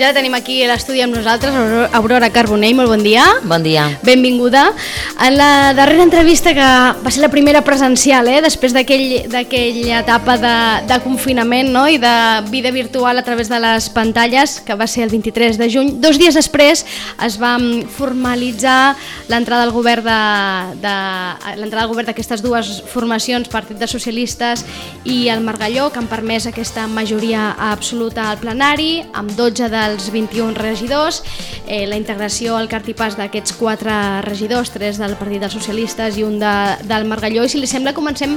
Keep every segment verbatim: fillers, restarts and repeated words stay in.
Ja la tenim aquí a l'estudi amb nosaltres, Aurora Carbonell, molt bon dia. Bon dia. Benvinguda. En la darrera entrevista, que va ser la primera presencial, eh, després d'aquella etapa de, de confinament, no? I de vida virtual a través de les pantalles, que va ser el vint-i-tres de juny, dos dies després es va formalitzar l'entrada al govern de, de l'entrada al govern d'aquestes dues formacions, Partit dels Socialistes i el Margalló, que han permès aquesta majoria absoluta al plenari, amb dotze dels vint-i-un regidors, eh, la integració al cartipàs d'aquests quatre regidors, tres del Partit dels Socialistes i un de, del Margalló. I si li sembla, comencem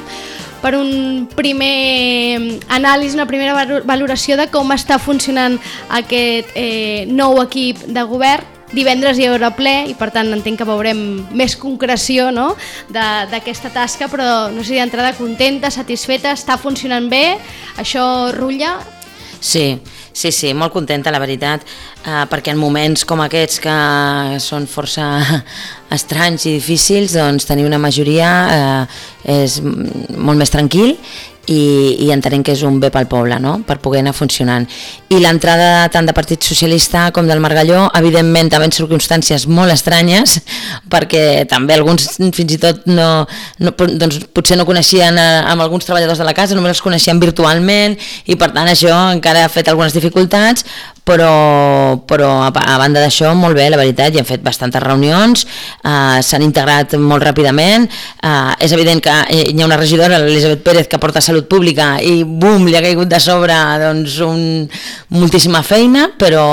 per un primer anàlisi, una primera valoració de com està funcionant aquest eh, nou equip de govern. Divendres hi haurà ple i per tant entenc que veurem més concreció, no?, d'aquesta tasca, però no sé si d'entrada contenta, satisfeta, està funcionant bé, això rutlla? Sí, sí, sí, molt contenta, la veritat, eh, perquè en moments com aquests que són força estranys i difícils, doncs tenir una majoria eh, és molt més tranquil i, i entenem que és un bé pel poble, no?, per poder anar funcionant. I l'entrada tant de Partit Socialista com del Margalló, evidentment també en circumstàncies molt estranyes, perquè també alguns fins i tot no, no, doncs potser no coneixien a, amb alguns treballadors de la casa, només els coneixien virtualment, i per tant això encara ha fet algunes dificultats, però, però a, a banda d'això molt bé, la veritat, hi han fet bastantes reunions, eh, s'han integrat molt ràpidament, eh, és evident que hi ha una regidora, l'Elisabet Pérez, que porta Salut Pública, i bum, li ha caigut de sobre doncs, un, moltíssima feina, però,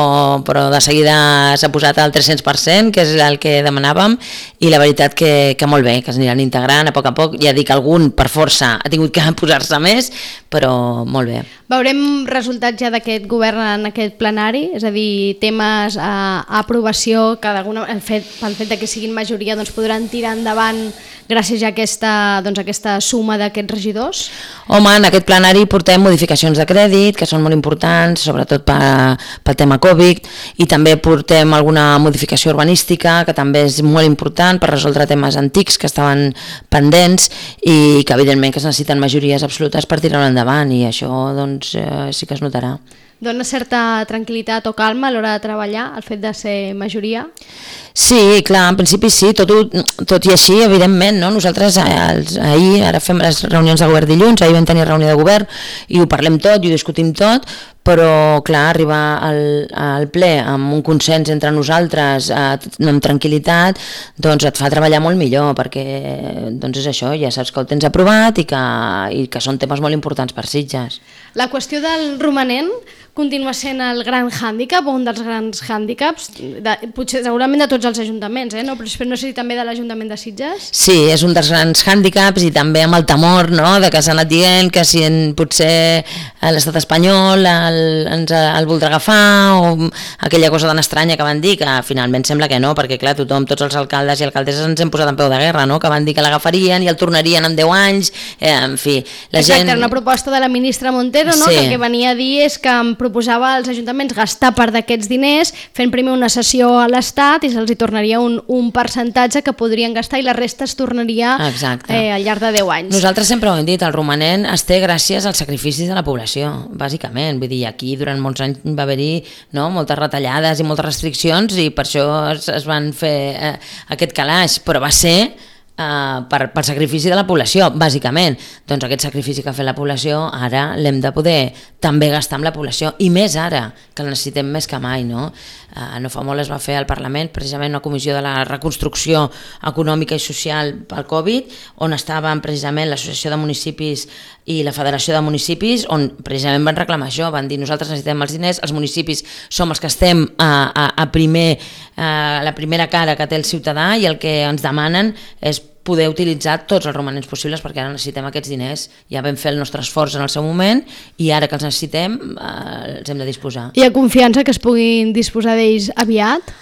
però de seguida s'ha posat al tres-cents per cent, que és el que demanàvem, i la veritat que, que molt bé, que s'aniran integrant a poc a poc. Ja dic, algun per força ha tingut que posar-se més, però molt bé. Veurem resultats ja d'aquest govern en aquest plenari, és a dir, temes a, a aprovació que el fet, pel fet de que siguin majoria doncs podran tirar endavant gràcies a aquesta, doncs, aquesta suma d'aquests regidors? Home, en aquest plenari portem modificacions de crèdit, que són molt importants, sobretot per, pel tema Covid, i també portem alguna modificació urbanística, que també és molt important per resoldre temes antics que estaven pendents i que evidentment que es necessiten majories absolutes per tirar-ho endavant, i això doncs, eh, sí que es notarà. Dona certa tranquil·litat o calma a l'hora de treballar, el fet de ser majoria? Sí, clar, en principi sí, tot, tot i així, evidentment, no? Nosaltres els, ahir, ara fem les reunions de govern dilluns, ahir vam tenir reunió de govern i ho parlem tot i ho discutim tot, però clar, arribar al, al ple amb un consens entre nosaltres, eh, amb tranquil·litat, doncs et fa treballar molt millor, perquè doncs és això, ja saps que el tens aprovat i que, i que són temes molt importants per Sitges. La qüestió del romanent continua sent el gran hàndicap, o un dels grans hàndicaps, de, potser segurament de tots els ajuntaments, eh? no? Però no sé si també de l'Ajuntament de Sitges? Sí, és un dels grans hàndicaps, i també amb el temor, no?, de que s'ha anat dient que si en, potser l'estat espanyol el, ens el voldrà agafar, o aquella cosa tan estranya que van dir, que finalment sembla que no, perquè clar, tothom, tots els alcaldes i alcaldesses ens hem posat en peu de guerra, no?, que van dir que l'agafarien i el tornarien en deu anys, eh, en fi. La Exacte, gent... era una proposta de la ministra Montero, no?, sí, que el que venia a dir és que proposava als ajuntaments gastar part d'aquests diners fent primer una cessió a l'Estat i se'ls hi tornaria un, un percentatge que podrien gastar i la resta es tornaria eh, al llarg de deu anys. Nosaltres sempre ho hem dit, el romanent es té gràcies als sacrificis de la població, bàsicament. Vull dir, aquí durant molts anys va haver-hi, no?, moltes retallades i moltes restriccions, i per això es, es van fer eh, aquest calaix, però va ser Uh, per, per sacrifici de la població, bàsicament. Doncs aquest sacrifici que ha fet la població ara l'hem de poder també gastar amb la població, i més ara, que el necessitem més que mai, no? Uh, no fa molt es va fer al Parlament precisament una comissió de la reconstrucció econòmica i social pel Covid, on estaven precisament l'Associació de Municipis i la Federació de Municipis, on precisament van reclamar això, van dir nosaltres necessitem els diners, els municipis som els que estem a, a, a, primer, a la primera cara que té el ciutadà, i el que ens demanen és poder utilitzar tots els romanents possibles, perquè ara necessitem aquests diners. Ja vam fer el nostre esforç en el seu moment i ara que els necessitem eh, els hem de disposar. Hi ha confiança que es puguin disposar d'ells aviat?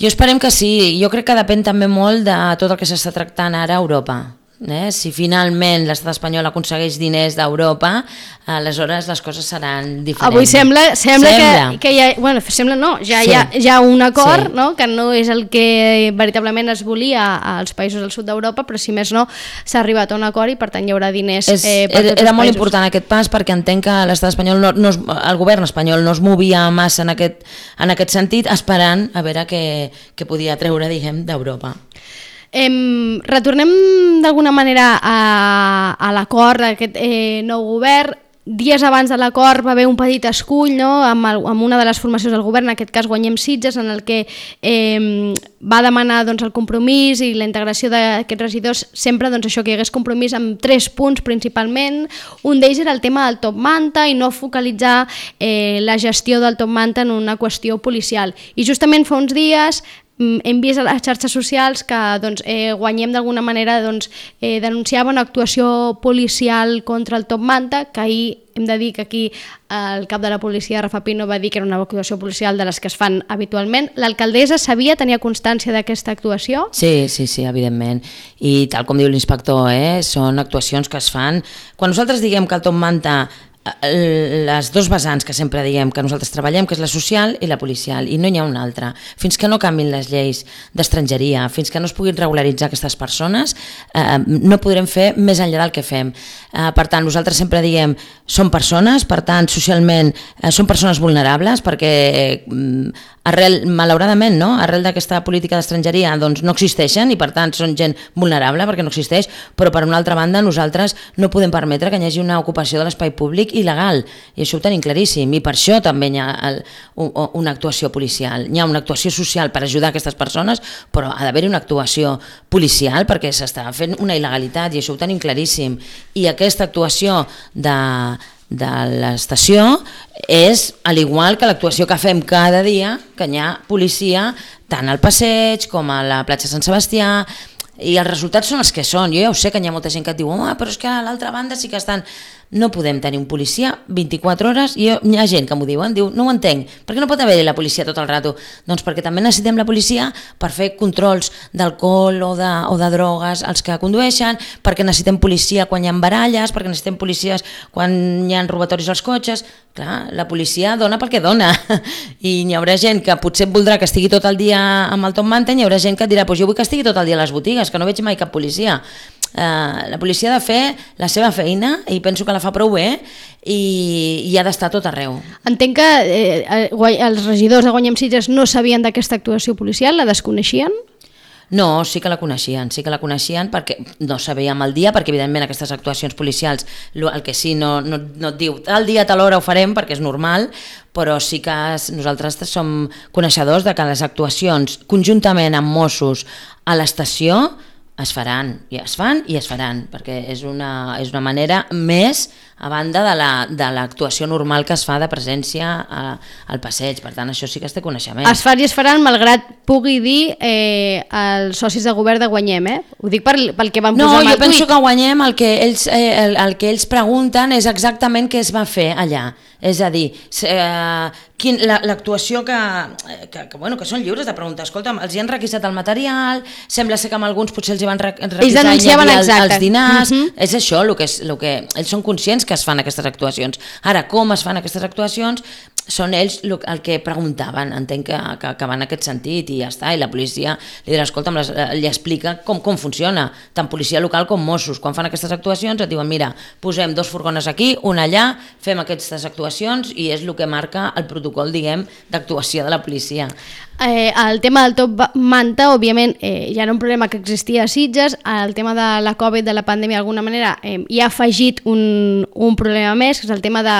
Jo esperem que sí. Jo crec que depèn també molt de tot el que s'està tractant ara a Europa. Eh? Si finalment l'estat espanyol aconsegueix diners d'Europa, aleshores les coses seran diferents. Avui sembla, sembla, sembla. Que, que hi ha, bueno, sembla no, ja sí. hi, ha, hi ha un acord, sí. no? Que no és el que veritablement es volia als països del sud d'Europa, però si més no s'ha arribat a un acord i per tant hi haurà diners és, eh, per tots els Era molt països. Important aquest pas perquè entenc que l'estat espanyol, no, no es, el govern espanyol no es movia massa en aquest, en aquest sentit, esperant a veure què, què podia treure, diguem, d'Europa. Em, retornem d'alguna manera a, a l'acord d'aquest eh, nou govern. Dies abans de l'acord va haver un petit escull, no? amb, el, amb una de les formacions del govern, en aquest cas Guanyem Sitges, en el que eh, va demanar doncs, el compromís i la integració d'aquests regidors, sempre doncs, això que hi hagués compromís amb tres punts principalment. Un d'ells era el tema del top manta i no focalitzar eh, la gestió del top manta en una qüestió policial. I justament fa uns dies hem vist a les xarxes socials que doncs, eh, Guanyem d'alguna manera doncs, eh, denunciava una actuació policial contra el top manta, que ahir hem de dir que aquí el cap de la policia, Rafa Pino, va dir que era una actuació policial de les que es fan habitualment. L'alcaldessa sabia, tenia constància d'aquesta actuació? Sí, sí, sí, evidentment. I tal com diu l'inspector, eh, són actuacions que es fan. Quan nosaltres diguem que el top manta, les dos vessants que sempre diguem que nosaltres treballem, que és la social i la policial, i no hi ha una altra. Fins que no canvin les lleis d'estrangeria, fins que no es puguin regularitzar aquestes persones, eh, no podrem fer més enllà del que fem. Eh, per tant, nosaltres sempre diguem són persones, per tant, socialment eh, són persones vulnerables, perquè eh, arrel, malauradament, no? arrel d'aquesta política d'estrangeria doncs no existeixen i per tant són gent vulnerable perquè no existeix, però per una altra banda nosaltres no podem permetre que hi hagi una ocupació de l'espai públic il·legal, i això ho tenim claríssim, i per això també hi ha el, una actuació policial, hi ha una actuació social per ajudar aquestes persones, però ha d'haver una actuació policial perquè s'està fent una il·legalitat i això ho tenim claríssim, i aquesta actuació de, de l'estació és al igual que l'actuació que fem cada dia, que hi ha policia tant al passeig com a la platja Sant Sebastià, i els resultats són els que són. Jo ja ho sé que hi ha molta gent que et diu oh, però és que a l'altra banda sí que estan... No podem tenir un policia vint-i-quatre hores, i hi ha gent que m'ho diuen, diu, no ho entenc, per què no pot haver la policia tot el rato? Doncs perquè també necessitem la policia per fer controls d'alcohol o de, o de drogues als que condueixen, perquè necessitem policia quan hi ha baralles, perquè necessitem policies quan hi ha robatoris als cotxes. Clar, la policia dona pel que dona, i hi haurà gent que potser voldrà que estigui tot el dia amb el top manta, i hi haurà gent que dirà, pues jo vull que estigui tot el dia a les botigues, que no veig mai cap policia. Uh, la policia ha de fer la seva feina i penso que la fa prou bé i, i ha d'estar tot arreu. Entenc que eh, els regidors de Guanyem Sitges no sabien d'aquesta actuació policial, la desconeixien? No, sí que la coneixien, sí que la coneixien perquè no sabíem el dia, perquè evidentment aquestes actuacions policials, el que sí no, no, no et diu tal dia, tal hora ho farem perquè és normal, però sí que nosaltres som coneixedors de que les actuacions conjuntament amb Mossos a l'estació es faran, i es fan i es faran, perquè és una, és una manera més a banda de la, de l'actuació normal que es fa de presència a, al passeig, per tant això sí que es té coneixement. Es fan i es faran malgrat pugui dir eh, els socis de govern de Guanyem, eh? Ho dic per, pel que van no, posar amb el tuit. No, jo penso que Guanyem el que, ells, eh, el, el que ells pregunten és exactament què es va fer allà, és a dir, eh, quin, la, l'actuació que, que, que, bueno, que són lliures de preguntar, escolta, els hi han requisat el material, sembla ser que amb alguns potser els hi van requisar ells denunciaven el, els dinars, uh-huh. És això el que, és, el que ells són conscients que es fan aquestes actuacions. Ara, com es fan aquestes actuacions són ells el que preguntaven, entenc que, que, que va en aquest sentit i ja està, i la policia li dirà, escolta, les, li explica com, com funciona, tant policia local com Mossos, quan fan aquestes actuacions et diuen, mira, posem dos furgones aquí, una allà, fem aquestes actuacions i és el que marca el protocol, diguem, d'actuació de la policia. Eh, el tema del top manta, òbviament, eh, ja era un problema que existia a Sitges, el tema de la Covid, de la pandèmia, d'alguna manera, eh, hi ha afegit un, un problema més, que és el tema de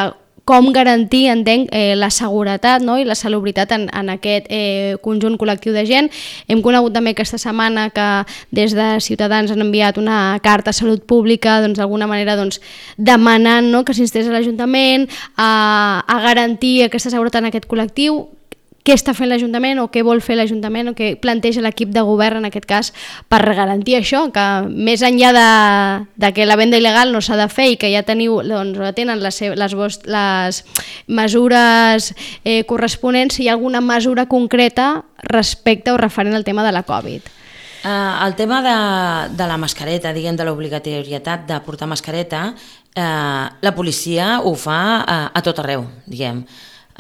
com garantir, entenc, eh, la seguretat, no? I la salubritat en, en aquest eh, conjunt col·lectiu de gent. Hem conegut també aquesta setmana que des de Ciutadans han enviat una carta a Salut Pública, doncs d'alguna manera doncs, demanant, no?, que s'instés a l'Ajuntament a, a garantir aquesta seguretat en aquest col·lectiu. Què està fent l'Ajuntament o què vol fer l'Ajuntament o què planteja l'equip de govern en aquest cas per garantir això, que més enllà de, de que la venda il·legal no s'ha de fer i que ja teniu, doncs, tenen les, les, les mesures eh, corresponents, si hi ha alguna mesura concreta respecte o referent al tema de la Covid. Uh, el tema de, de la mascareta, diguem, de l'obligatorietat de portar mascareta, uh, la policia ho fa uh, a tot arreu, diguem.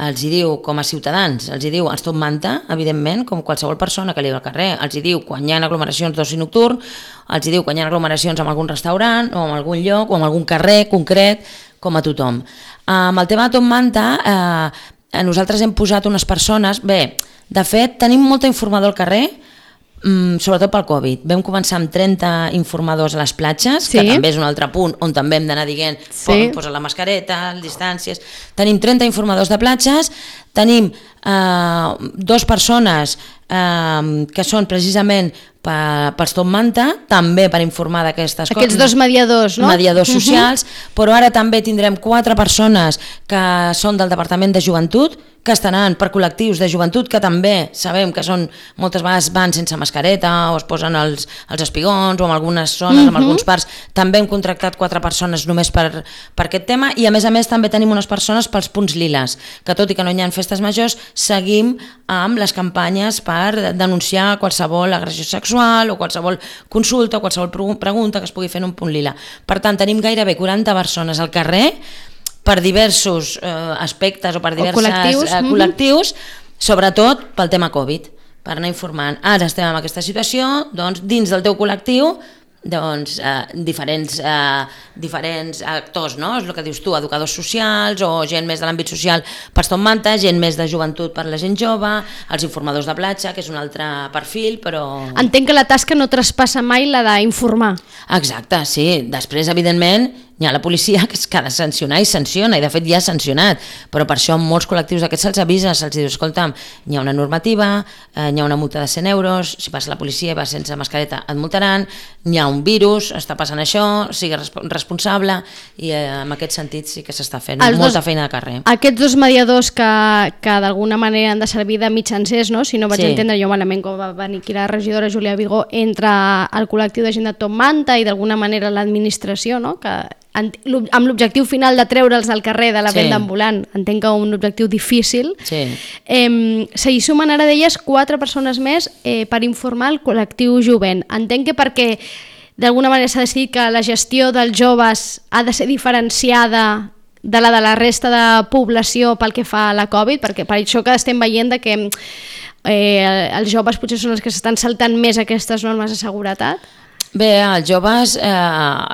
Els hi diu, com a ciutadans, els hi diu, ens tot manta, evidentment, com qualsevol persona que li va al carrer, els hi diu quan hi ha aglomeracions d'oci nocturn, els hi diu quan hi ha aglomeracions en algun restaurant o en algun lloc o en algun carrer concret, com a tothom. Uh, amb el tema de tot manta, uh, nosaltres hem posat unes persones, bé, de fet, tenim molta informador al carrer, Mm, sobretot pel Covid. Vam començar amb trenta informadors a les platges, sí. que també és un altre punt on també hem d'anar dient sí. posa la mascareta, les distàncies. Tenim trenta informadors de platges, tenim eh, dues persones eh, que són precisament per, pels Top Manta, també per informar d'aquestes coses. Aquests dos mediadors, no? Mediadors socials, uh-huh. però ara també tindrem quatre persones que són del Departament de Joventut, que estaran per col·lectius de joventut que també sabem que són moltes vegades van sense mascareta o es posen els, els espigons o en algunes zones, uh-huh. en alguns parcs. També hem contractat quatre persones només per, per aquest tema i a més a més també tenim unes persones pels punts liles, que tot i que no hi ha festes majors, seguim amb les campanyes per denunciar qualsevol agressió sexual o qualsevol consulta o qualsevol pregunta que es pugui fer en un punt lila. Per tant, tenim gairebé quaranta persones al carrer per diversos eh, aspectes o per diversos col·lectius, eh, col·lectius mm-hmm. sobretot pel tema Covid, per anar informant. Ara estem en aquesta situació, doncs dins del teu col·lectiu, doncs eh, diferents, eh, diferents actors, no? És el que dius tu, educadors socials o gent més de l'àmbit social per Top Manta, gent més de joventut per la gent jove, els informadors de platja, que és un altre perfil, però... Entenc que la tasca no traspassa mai la d'informar. Exacte, sí. Després, evidentment, hi ha la policia que ha de sancionar i sanciona, i de fet ja ha sancionat, però per això en molts col·lectius d'aquests se'ls avisa, se'ls diu, escolta'm, hi ha una normativa, eh, hi ha una multa de cent euros, si passa la policia i vas sense mascareta et multaran, hi ha un virus, està passant això, sigues responsable, i eh, en aquest sentit sí que s'està fent Els molta dos, feina de carrer. Aquests dos mediadors que, que d'alguna manera han de servir de mitjancers, no? Si no vaig sí. entendre jo malament com va venir aquí la regidora Júlia Vigó, entre el col·lectiu de gent de Top Manta i d'alguna manera l'administració, no? Que amb l'objectiu final de treure'ls del carrer de la sí. venda ambulant, entenc que un objectiu difícil. Sí. Eh, S'hi sumen ara d'elles quatre persones més eh, per informar el col·lectiu jovent. Entenc que perquè d'alguna manera s'ha decidit que la gestió dels joves ha de ser diferenciada de la de la resta de població pel que fa a la Covid, perquè per això que estem veient de que eh, els joves potser són els que s'estan saltant més aquestes normes de seguretat. Bé, els joves eh,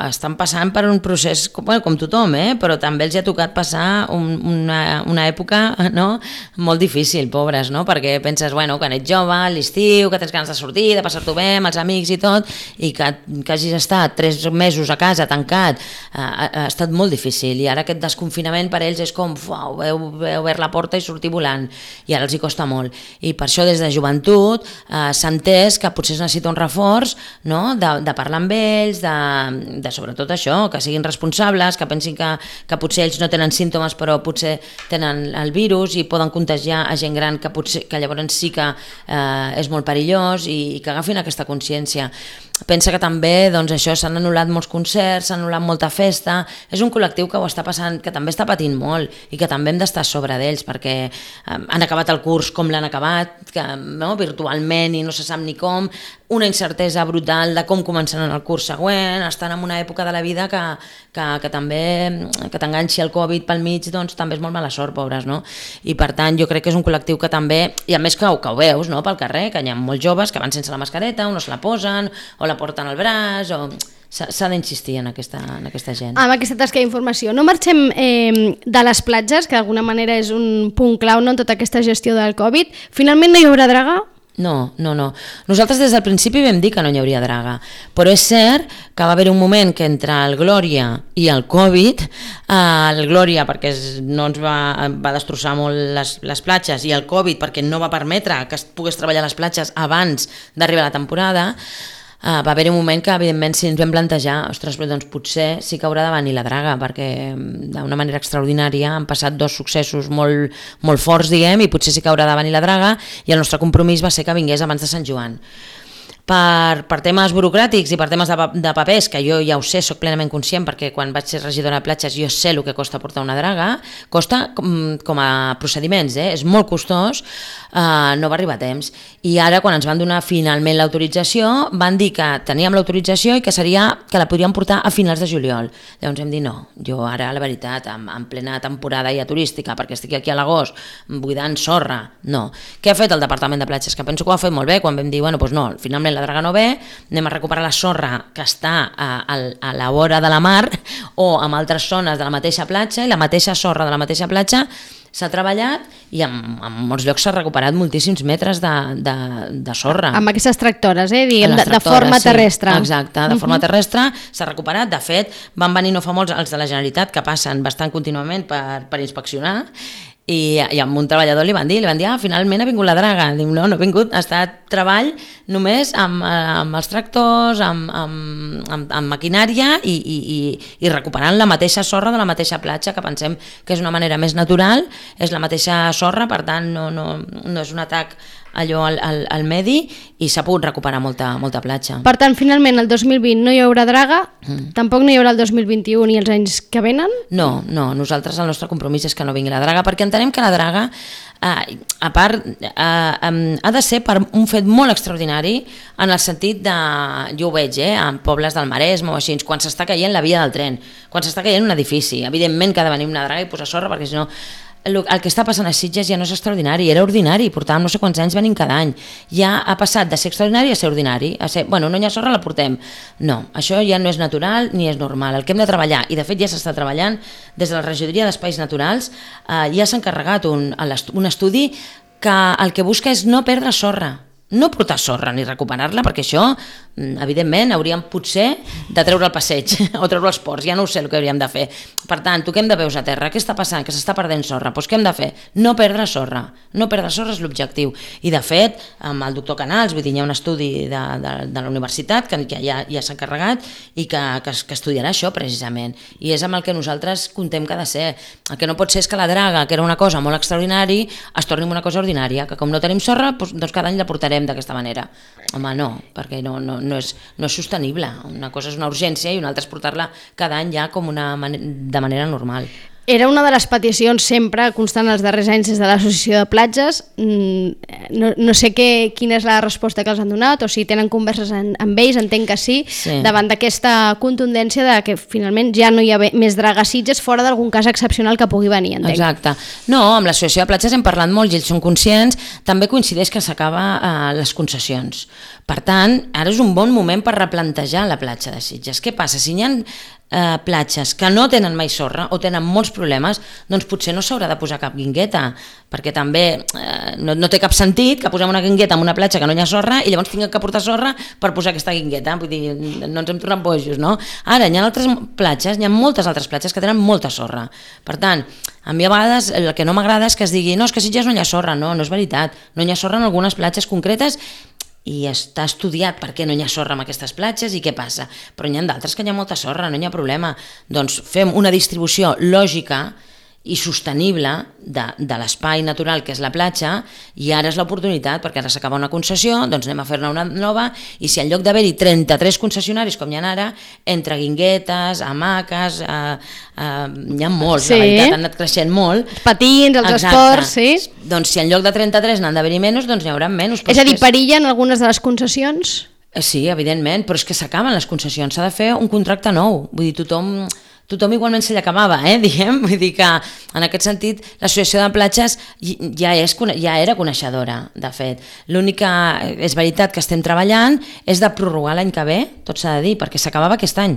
estan passant per un procés, com, bueno, com tothom, eh? Però també els ha tocat passar un, una, una època no? molt difícil, pobres, no? Perquè penses, bueno, quan ets jove, a l'estiu, que tens ganes de sortir, de passar-t'ho bé amb els amics i tot, i que, que hagis estat tres mesos a casa tancat, eh, ha, ha estat molt difícil, i ara aquest desconfinament per ells és com, uau, heu, heu obert la porta i sortir volant, i ara els hi costa molt. I per això des de joventut eh, s'ha entès que potser es necessita un reforç, no? de, de parlar amb ells, de, de sobretot això, que siguin responsables, que pensin que, que potser ells no tenen símptomes però potser tenen el virus i poden contagiar a gent gran que, potser, que llavors sí que eh, és molt perillós i, i que agafin aquesta consciència. Pensa que també doncs, això s'han anul·lat molts concerts, s'ha anul·lat molta festa, és un col·lectiu que ho està passant, que també està patint molt i que també hem d'estar a sobre d'ells perquè eh, han acabat el curs com l'han acabat, que, no, virtualment i no se sap ni com, una incertesa brutal de com començaran el curs següent, estan en una època de la vida que, que, que també que t'enganxi el Covid pel mig, doncs també és molt mala sort, pobres, no? I per tant jo crec que és un col·lectiu que també, i a més que, que ho veus, no, pel carrer, que hi ha molts joves que van sense la mascareta, o no se la posen, o la porten al braç, o... s'ha d'insistir en aquesta, en aquesta gent. Amb aquesta tasca d'informació. No marxem eh, de les platges, que d'alguna manera és un punt clau, no, en tota aquesta gestió del Covid. Finalment no hi haurà draga? No, no, no. Nosaltres des del principi vam dir que no hi hauria draga, però és cert que va haver un moment que entre el Glòria i el Covid, eh, el Glòria perquè no ens va, va destrossar molt les, les platges i el Covid perquè no va permetre que es pogués treballar a les platges abans d'arribar la temporada, Uh, va haver un moment que evidentment si ens vam plantejar, ostres, però doncs potser sí que haurà de venir la draga, perquè d'una manera extraordinària han passat dos successos molt, molt forts, diguem, i potser sí que haurà de venir la draga, i el nostre compromís va ser que vingués abans de Sant Joan. Per, per temes burocràtics i per temes de, de papers, que jo ja ho sé, sóc plenament conscient, perquè quan vaig ser regidora de platges jo sé el que costa portar una draga, costa com, com a procediments, eh? És molt costós, eh, no va arribar a temps. I ara, quan ens van donar finalment l'autorització, van dir que teníem l'autorització i que seria que la podríem portar a finals de juliol. Llavors hem dit no, jo ara, la veritat, en, en plena temporada ja turística, perquè estic aquí a l'agost buidant sorra, no. Què ha fet el Departament de Platges? Que penso que ho ha fet molt bé, quan vam dir, bueno, doncs no, finalment la draga no ve, anem a recuperar la sorra que està a, a, a la vora de la mar o en altres zones de la mateixa platja, i la mateixa sorra de la mateixa platja s'ha treballat i en, en molts llocs s'ha recuperat moltíssims metres de, de, de sorra. Amb aquestes tractores, eh? Diguem, de, tractores, de forma sí, terrestre. Exacte, de forma terrestre s'ha recuperat. De fet, van venir no fa molts els de la Generalitat, que passen bastant contínuament per, per inspeccionar, i, i a un treballador li van dir, li van dir, ah, finalment ha vingut la draga. Diu, no, no ha vingut, ha estat treball només amb, amb els tractors, amb, amb, amb, amb maquinària i, i, i, i recuperant la mateixa sorra de la mateixa platja, que pensem que és una manera més natural, és la mateixa sorra, per tant no, no, no és un atac allò al, al, al medi, i s'ha pogut recuperar molta, molta platja. Per tant, finalment el dos mil vint no hi haurà draga, mm. tampoc no hi haurà el dos mil vint-i-u ni els anys que venen? No, no, nosaltres el nostre compromís és que no vingui la draga, perquè entenem que la draga, eh, a part, eh, eh, ha de ser per un fet molt extraordinari, en el sentit de, jo ho veig, eh, en pobles del Maresme o així, quan s'està caient la via del tren, quan s'està caient un edifici, evidentment que ha de venir una draga i posar sorra, perquè si no el, el que està passant a Sitges ja no és extraordinari, era ordinari, portàvem no sé quants anys venint cada any, ja ha passat de ser extraordinari a ser ordinari, a ser, bueno, no hi ha sorra, la portem. No, això ja no és natural ni és normal, el que hem de treballar, i de fet ja s'està treballant des de la regidoria d'Espais Naturals, eh, ja s'ha encarregat un, un estudi que el que busca és no perdre sorra, no portar sorra ni recuperar-la, perquè això, evidentment, hauríem potser de treure el passeig o treure els ports, ja no ho sé el que hauríem de fer. Per tant, toquem de peus a terra, què està passant? Que s'està perdent sorra, doncs què hem de fer? No perdre sorra, no perdre sorra és l'objectiu. I de fet, amb el doctor Canals, vull dir, hi ha un estudi de, de, de la universitat que, que ja, ja s'ha encarregat i que, que, que estudiarà això precisament, i és amb el que nosaltres contem que ha de ser. El que no pot ser és que la draga, que era una cosa molt extraordinària, es torni una cosa ordinària, que com no tenim sorra, doncs, doncs cada any la portarem d'aquesta manera. Home, no, perquè no, no, no, és, no és sostenible. Una cosa és una urgència i una altra és portar-la cada any ja com una man- de manera normal. Era una de les peticions sempre constant els darrers anys des de l'Associació de Platges. No, no sé què, quina és la resposta que els han donat o si tenen converses en, amb ells, entenc que sí, sí, davant d'aquesta contundència de que finalment ja no hi ha més draga a Sitges fora d'algun cas excepcional que pugui venir, entenc. Exacte. No, amb l'Associació de Platges hem parlat molt i ells són conscients, també coincideix que s'acaba eh, les concessions. Per tant, ara és un bon moment per replantejar la platja de Sitges. Què passa? Si hi ha Eh, platges que no tenen mai sorra o tenen molts problemes, doncs potser no s'haurà de posar cap guingueta, perquè també eh, no, no té cap sentit que posem una guingueta en una platja que no hi ha sorra i llavors tinguem que portar sorra per posar aquesta guingueta, vull dir, no ens hem tornat bojos, no? Ara, hi ha altres platges, hi ha moltes altres platges que tenen molta sorra. Per tant, a mi a vegades el que no m'agrada és que es digui no, és que a Sitges no hi ha sorra, no, no és veritat, no hi ha sorra en algunes platges concretes i està estudiat per què no hi ha sorra en aquestes platges i què passa, però n'hi ha d'altres que hi ha molta sorra, no hi ha problema, doncs fem una distribució lògica i sostenible de, de l'espai natural que és la platja, i ara és l'oportunitat, perquè ara s'acaba una concessió, doncs anem a fer-ne una nova, i si en lloc d'haver-hi trenta-tres concessionaris com hi ha ara, entre guinguetes, hamaques, eh, eh, hi ha molts, sí, la veritat, han anat creixent molt. Els patins, els exacte, esports, sí. Doncs si en lloc de trenta-tres n'han d'haver-hi menys, doncs n'hi haurà menys. És a dir, perillen algunes de les concessions? Sí, evidentment, però és que s'acaben les concessions, s'ha de fer un contracte nou, vull dir, tothom... tothom igualment se li acabava, eh, diguem, vull dir que en aquest sentit l'Associació de Platges ja, és, ja era coneixedora, de fet. L'única, és veritat que estem treballant, és de prorrogar l'any que ve, tot s'ha de dir, perquè s'acabava aquest any,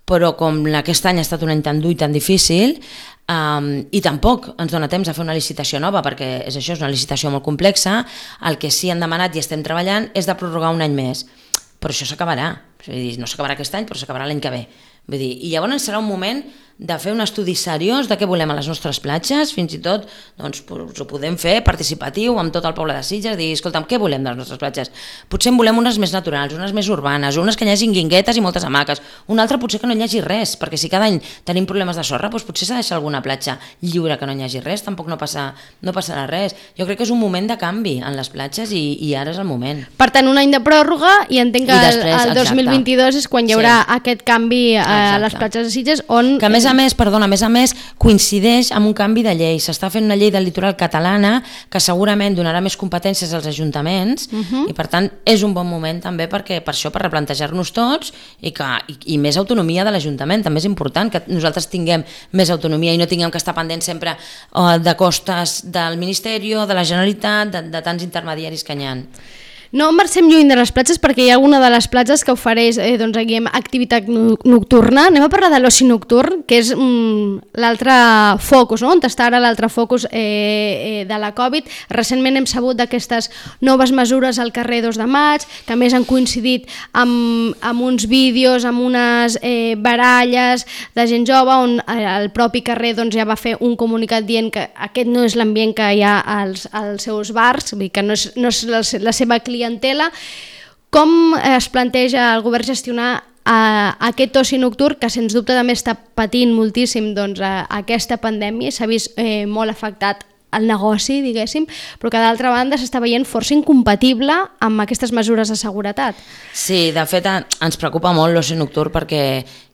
però com aquest any ha estat un any tan dur i tan difícil, um, i tampoc ens dona temps a fer una licitació nova, perquè és això, és una licitació molt complexa, el que sí han demanat i estem treballant és de prorrogar un any més, però això s'acabarà, Vull dir, no s'acabarà aquest any, però s'acabarà l'any que ve. Vull dir, i llavors serà un moment de fer un estudi seriós de què volem a les nostres platges, fins i tot doncs, ho podem fer participatiu amb tot el poble de Sitges, dir, escolta'm, què volem de les nostres platges? Potser en volem unes més naturals, unes més urbanes, unes que hi hagi guinguetes i moltes hamaques, una altra potser que no hi hagi res, perquè si cada any tenim problemes de sorra, doncs potser s'ha de deixar alguna platja lliure que no hi hagi res, tampoc no, passa, no passarà res. Jo crec que és un moment de canvi en les platges i, i ara és el moment. Per tant, un any de pròrroga i entenc que I després, el, el dos mil vint-i-dos és quan hi haurà sí. aquest canvi a exacte. Les platges de Sitges, on... Que a més a més, perdona, a més a més, coincideix amb un canvi de llei. S'està fent una llei del litoral catalana que segurament donarà més competències als ajuntaments uh-huh. i per tant és un bon moment també perquè per això, per replantejar-nos tots i, que, i, i més autonomia de l'Ajuntament. També és important que nosaltres tinguem més autonomia i no tinguem que estar pendents sempre uh, de costes del Ministeri, de la Generalitat, de, de tants intermediaris que n'hi ha. No marxem lluny de les platges perquè hi ha una de les platges que ofereix eh, doncs, aquí, activitat nocturna. Anem a parlar de l'oci nocturn, que és mm, l'altre focus, no? On està ara l'altre focus eh, eh, de la Covid. Recentment hem sabut d'aquestes noves mesures al carrer dos de maig, que a més han coincidit amb, amb uns vídeos, amb unes eh, baralles de gent jove, on el propi carrer doncs, ja va fer un comunicat dient que aquest no és l'ambient que hi ha als, als seus bars, vull dir que no és, no és la, la seva clientela. Com es planteja el govern gestionar eh, aquest oci nocturn que sens dubte també està patint moltíssim doncs, a, a aquesta pandèmia, s'ha vist eh, molt afectat el negoci, diguéssim, però que d'altra banda s'està veient força incompatible amb aquestes mesures de seguretat. Sí, de fet ens preocupa molt l'oci nocturn perquè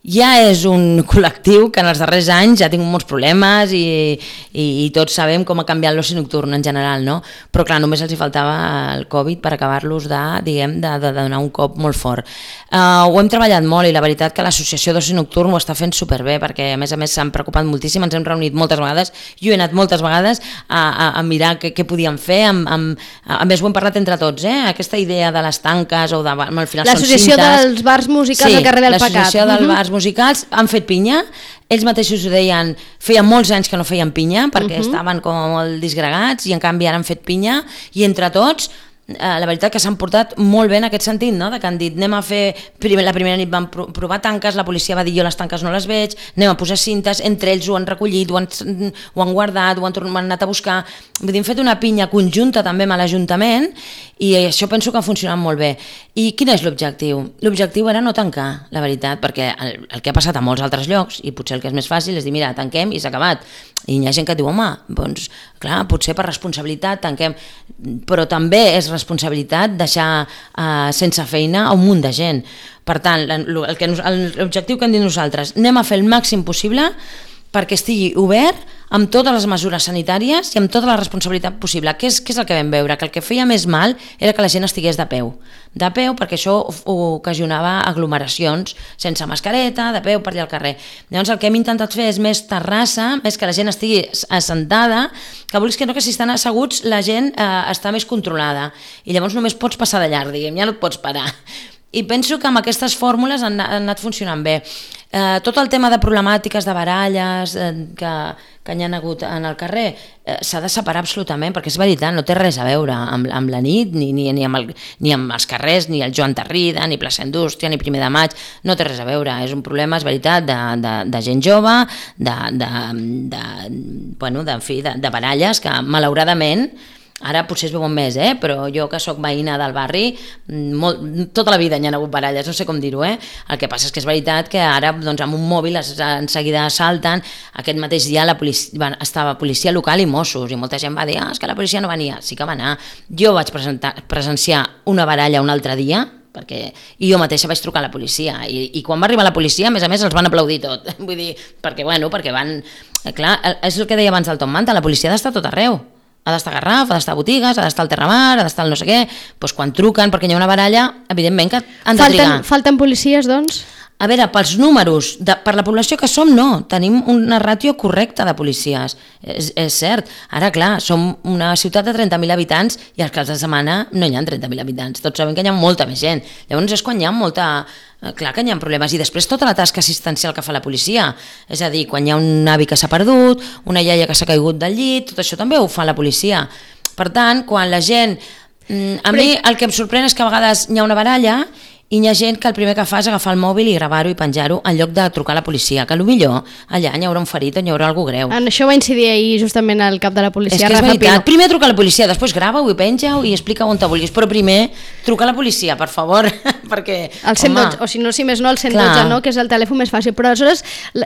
ja és un col·lectiu que en els darrers anys ja ha tingut molts problemes i, i, i tots sabem com ha canviat l'oci nocturn en general, no? Però clar, només els hi faltava el Covid per acabar-los de, diguem, de, de donar un cop molt fort. Uh, ho hem treballat molt i la veritat que l'associació d'oci nocturn ho està fent superbé perquè a més a més s'han preocupat moltíssim, ens hem reunit moltes vegades, jo he anat moltes vegades a, a, a mirar què, què podíem fer, amb, amb, a més ho hem parlat entre tots, eh? Aquesta idea de les tanques o de, al final són cintes. L'associació dels bars musicals sí, al carrer del Pecat. Sí, l'associació dels bars musicals han fet pinya, ells mateixos ho deien, feien molts anys que no feien pinya perquè uh-huh. estaven com molt disgregats i en canvi ara han fet pinya i entre tots eh, la veritat que s'han portat molt bé en aquest sentit, no? De que han dit anem a fer, primer, la primera nit van provar tanques, la policia va dir jo les tanques no les veig, anem a posar cintes, entre ells ho han recollit, ho han, ho han guardat, ho han, tornat, ho han anat a buscar, vull dir, hem fet una pinya conjunta també amb l'Ajuntament i això penso que ha funcionat molt bé. I quin és l'objectiu? L'objectiu era no tancar, la veritat, perquè el, el que ha passat a molts altres llocs, i potser el que és més fàcil és dir, mira, tanquem i s'ha acabat. I hi ha gent que diu, home, doncs, clar, potser per responsabilitat tanquem, però també és responsabilitat deixar eh, sense feina a un munt de gent. Per tant, el que, l'objectiu que hem dit nosaltres, anem a fer el màxim possible perquè estigui obert amb totes les mesures sanitàries i amb tota la responsabilitat possible. Què és, què és el que vam veure? Que el que feia més mal era que la gent estigués de peu. De peu perquè això ocasionava aglomeracions sense mascareta, de peu per allà al carrer. Llavors el que hem intentat fer és més terrassa, més que la gent estigui assentada, que vols que no, que si estan asseguts la gent eh, està més controlada i llavors només pots passar de llarg, diguem, ja no et pots parar. I penso que amb aquestes fórmules han, han anat funcionant bé. Eh, tot el tema de problemàtiques, de baralles eh, que, que hi ha hagut en el carrer eh, s'ha de separar absolutament, perquè és veritat, no té res a veure amb, amb la nit, ni, ni, ni, amb el, ni amb els carrers, ni el Joan Tarrida, ni Plaça Indústria, ni Primer de Maig, no té res a veure, és un problema, és veritat, de, de, de gent jove, de, de, de, bueno, de, en fi, de, de baralles que malauradament ara potser es veuen més, eh? Però jo que sóc veïna del barri, molt, tota la vida hi ha hagut baralles, no sé com dir-ho, eh? El que passa és que és veritat que ara doncs, amb un mòbil es, en seguida salten. Aquest mateix dia la policia, estava policia local i Mossos, i molta gent va dir, ah, és que la policia no venia. Sí que va anar. Jo vaig presentar, presenciar una baralla un altre dia, perquè i jo mateixa vaig trucar a la policia i, i quan va arribar la policia, a més a més, els van aplaudir tot. Vull dir, perquè, bueno, perquè van... Clar, és el que deia abans el Tom Manta, la policia ha d'estar tot arreu. Ha d'estar a Garraf, ha d'estar a botigues, ha d'estar al Terramar, ha d'estar al no sé què, doncs quan truquen perquè hi ha una baralla, evidentment que han de falten, trigar. Falten policies, doncs? A veure, pels números, de, per la població que som, no, tenim una ràtio correcta de policies, és, és cert. Ara, clar, som una ciutat de trenta mil habitants i als caps de setmana no hi ha trenta mil habitants, tots sabem que hi ha molta més gent. Llavors és quan hi ha molta... Clar que hi ha problemes, i després tota la tasca assistencial que fa la policia, és a dir, quan hi ha un avi que s'ha perdut, una iaia que s'ha caigut del llit, tot això també ho fa la policia. Per tant, quan la gent... A mi el que em sorprèn és que a vegades hi ha una baralla i hi ha gent que el primer que fa és agafar el mòbil i gravar-ho i penjar-ho en lloc de trucar a la policia, que potser allà hi haurà un ferit o hi haurà algú greu. En això va incidir ahir justament el cap de la policia. És que és veritat, primer truca a la policia, després grava-ho i penja-ho i explica on te vulguis, però primer truca a la policia, per favor, perquè... El cent dotze, o si no, si més no, el cent dotze, no? Que és el telèfon més fàcil, però aleshores,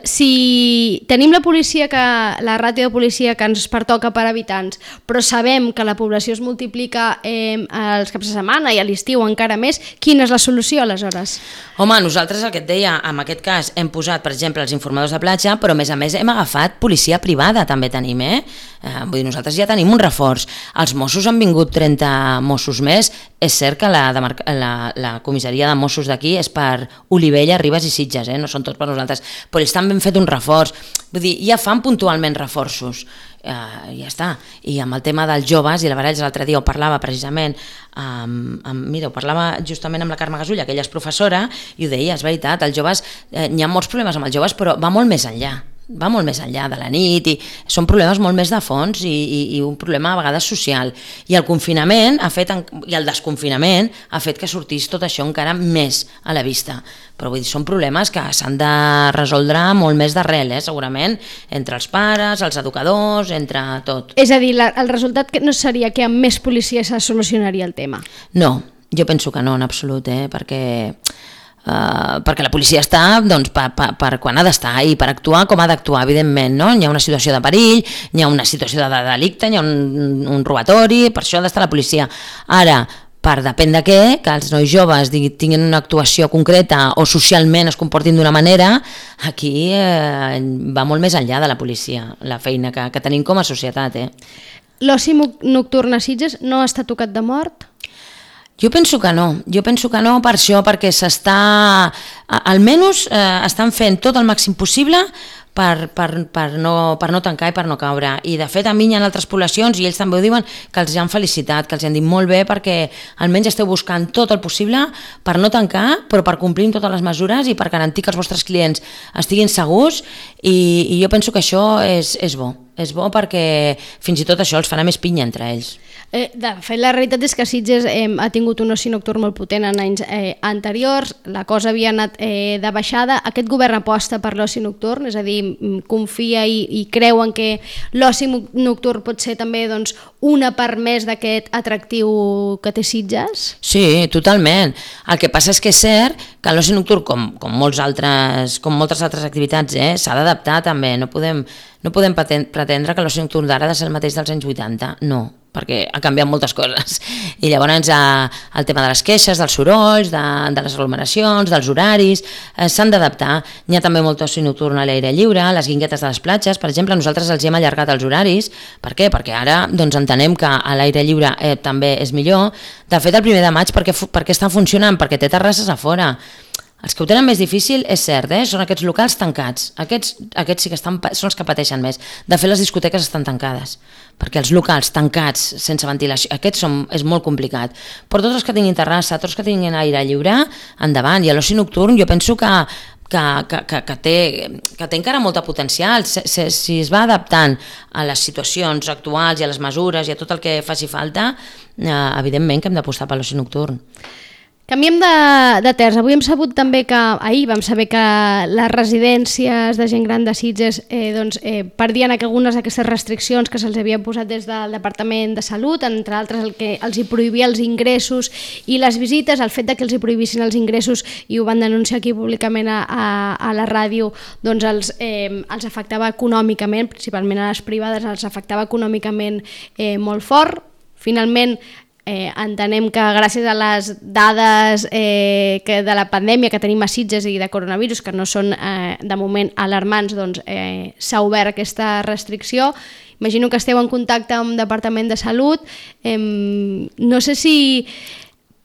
si tenim la policia, que la ràtio de policia que ens pertoca per habitants, però sabem que la població es multiplica eh, els caps de setmana i a l'estiu encara més, quina és la solució aleshores? Home, nosaltres el que et deia, en aquest cas hem posat, per exemple, els informadors de platja, però a més a més hem agafat policia privada, també tenim, eh? eh vull dir, nosaltres ja tenim un reforç. Els Mossos han vingut trenta Mossos més, és cert que la, la, la comissaria de Mossos d'aquí és per Olivella, Ribes i Sitges, eh? No són tots per nosaltres, però ells també han fet un reforç, vull dir, ja fan puntualment reforços. Uh, ja està, i amb el tema dels joves i la Varells l'altre dia ho parlava precisament amb, amb, mira, ho parlava justament amb la Carme Gasulla, que ella és professora i ho deia, és veritat, els joves eh, hi ha molts problemes amb els joves, però va molt més enllà va molt més enllà de la nit i són problemes molt més de fons i, i, i un problema a vegades social, i el confinament ha fet, i el desconfinament ha fet que sortís tot això encara més a la vista, però vull dir, són problemes que s'han de resoldre molt més d'arrel, eh, segurament, entre els pares, els educadors, entre tot. És a dir, la, el resultat no seria que amb més policia se solucionaria el tema? No, jo penso que no, en absolut, eh, perquè... Uh, perquè la policia està doncs, per, per, per quan ha d'estar i per actuar com ha d'actuar, evidentment, no? Hi ha una situació de perill, hi ha una situació de, de delicte, hi ha un, un robatori, per això ha d'estar la policia. Ara, per depèn de què, que els nois joves tinguin una actuació concreta o socialment es comportin d'una manera, aquí eh, va molt més enllà de la policia, la feina que, que tenim com a societat. Eh? L'oci nocturn a Sitges no està tocat de mort? Jo penso que no, jo penso que no per això, perquè s'està, almenys eh, estan fent tot el màxim possible per, per, per, no, per no tancar i per no caure, i de fet a mi hi ha altres poblacions i ells també ho diuen, que els han felicitat, que els han dit molt bé perquè almenys esteu buscant tot el possible per no tancar, però per complir amb totes les mesures i per garantir que els vostres clients estiguin segurs, i, i jo penso que això és, és bo, és bo perquè fins i tot això els farà més pinya entre ells. Eh, de fet, la realitat és que Sitges eh, ha tingut un oci nocturn molt potent en anys eh, anteriors, la cosa havia anat eh, de baixada, aquest govern aposta per l'oci nocturn, és a dir, confia i, i creu en que l'oci nocturn pot ser també doncs, una part més d'aquest atractiu que té Sitges? Sí, totalment. El que passa és que és cert que l'oci nocturn, com, com, molts altres, com moltes altres activitats, eh, s'ha d'adaptar també, no podem, no podem pretendre que l'oci nocturn d'ara ha de ser el mateix dels anys vuitanta, no, perquè ha canviat moltes coses, i llavors eh, el tema de les queixes, dels sorolls, de, de les aglomeracions, dels horaris, eh, s'han d'adaptar. Hi ha també molt oci nocturn a l'aire lliure, les guinguetes de les platges, per exemple, nosaltres els hem allargat els horaris. Per què? Perquè ara doncs, entenem que a l'aire lliure eh, també és millor. De fet, el primer de maig, per què, per què estan funcionant? Perquè té terrasses a fora. Els que ho tenen més difícil, és cert, eh? Són aquests locals tancats. Aquests, aquests sí que estan, són els que pateixen més. De fet, les discoteques estan tancades, perquè els locals tancats, sense ventilació, aquests són, és molt complicat. Però tots els que tinguin terrassa, tots els que tinguin aire lliure, endavant. I l'oci nocturn jo penso que, que, que, que, que, té, que té encara molta potencial. Si, si es va adaptant a les situacions actuals i a les mesures i a tot el que faci falta, eh, evidentment que hem d'apostar per l'oci nocturn. Canviem de, de terç. Avui hem sabut també que, ahir vam saber que les residències de gent gran de Sitges eh, doncs, eh, perdien algunes d'aquestes restriccions que se'ls havia posat des del Departament de Salut, entre altres el que els hi prohibia els ingressos i les visites, el fet de que els hi prohibissin els ingressos, i ho van denunciar aquí públicament a, a, a la ràdio, doncs els, eh, els afectava econòmicament, principalment a les privades, els afectava econòmicament eh, molt fort. Finalment, Eh, entenem que gràcies a les dades eh, que de la pandèmia que tenim a Sitges i de coronavirus, que no són eh, de moment alarmants, doncs eh, s'ha obert aquesta restricció. Imagino que esteu en contacte amb el Departament de Salut. Eh, no sé si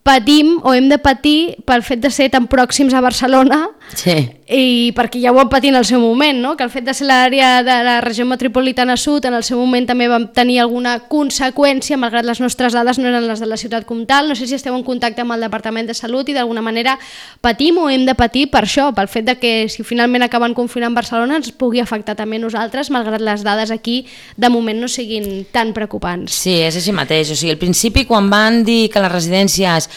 patim o hem de patir pel fet de ser tan pròxims a Barcelona, sí, i perquè ja ho vam patir en el seu moment, no? Que el fet de ser l'àrea de la regió metropolitana sud en el seu moment també vam tenir alguna conseqüència, malgrat les nostres dades no eren les de la ciutat comtal. No sé si esteu en contacte amb el Departament de Salut i d'alguna manera patim o hem de patir per això, pel fet de que si finalment acaben confinant Barcelona ens pugui afectar també a nosaltres, malgrat les dades aquí de moment no siguin tan preocupants. Sí, és així mateix. O sigui, al principi quan van dir que les residències